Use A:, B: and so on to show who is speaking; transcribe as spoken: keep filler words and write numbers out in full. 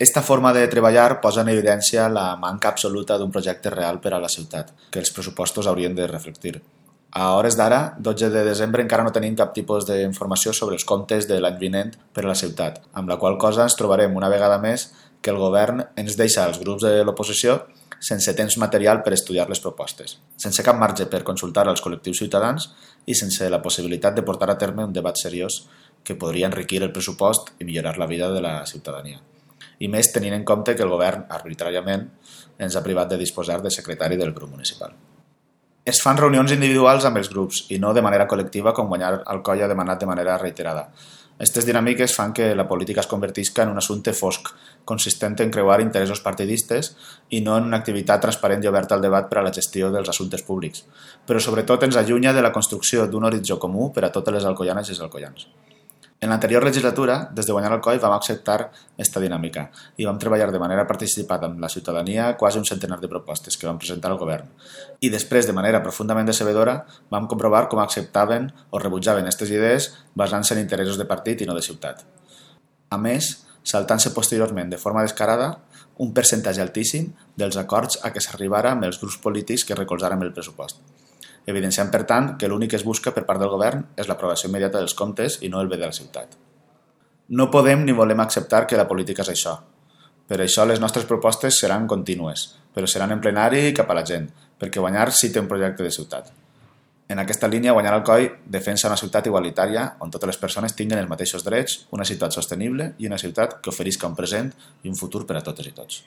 A: Esta forma de treballar posa en evidència la manca absoluta d'un projecte real per a la ciutat, que els pressupostos haurien de reflectir. A hores d'ara, dotze de desembre, encara no tenim cap tipus d'informació sobre els comptes de l'any vinent per a la ciutat, amb la qual cosa ens trobarem una vegada més que el govern ens deixa als grups de l'oposició sense temps material per estudiar les propostes, sense cap marge per consultar als col·lectius ciutadans i sense la possibilitat de portar a terme un debat seriós que podria enriquir el pressupost i millorar la vida de la ciutadania. I més tenint en compte que el govern, arbitràriament, ens ha privat de disposar de secretari del grup municipal. Es fan reunions individuals amb els grups i no de manera col·lectiva com Guanyar Alcoi ha demanat de manera reiterada. Aquestes dinàmiques fan que la política es convertisca en un assumpte fosc, consistent en creuar interessos partidistes i no en una activitat transparent i oberta al debat per a la gestió dels assumptes públics, però sobretot ens allunya de la construcció d'un horitzó comú per a totes les alcoianes i els alcoians. En l'anterior legislatura, des de Guanyar Alcoi, vam acceptar aquesta dinàmica i vam treballar de manera participada amb la ciutadania quasi un centenar de propostes que vam presentar al govern. I després, de manera profundament decebedora, vam comprovar com acceptaven o rebutjaven aquestes idees basant-se en interessos de partit i no de ciutat. A més, saltant-se posteriorment de forma descarada un percentatge altíssim dels acords a què s'arribara amb els grups polítics que recolzaren el pressupost, evidenciant, per tant, que l'únic que es busca per part del govern és l'aprovació immediata dels comptes i no el bé de la ciutat. No podem ni volem acceptar que la política és això. Per això les nostres propostes seran contínues, però seran en plenari i cap a la gent, perquè Guanyar sí té un projecte de ciutat. En aquesta línia, Guanyar Alcoi defensa una ciutat igualitària on totes les persones tinguin els mateixos drets, una ciutat sostenible i una ciutat que oferisca un present i un futur per a totes i tots.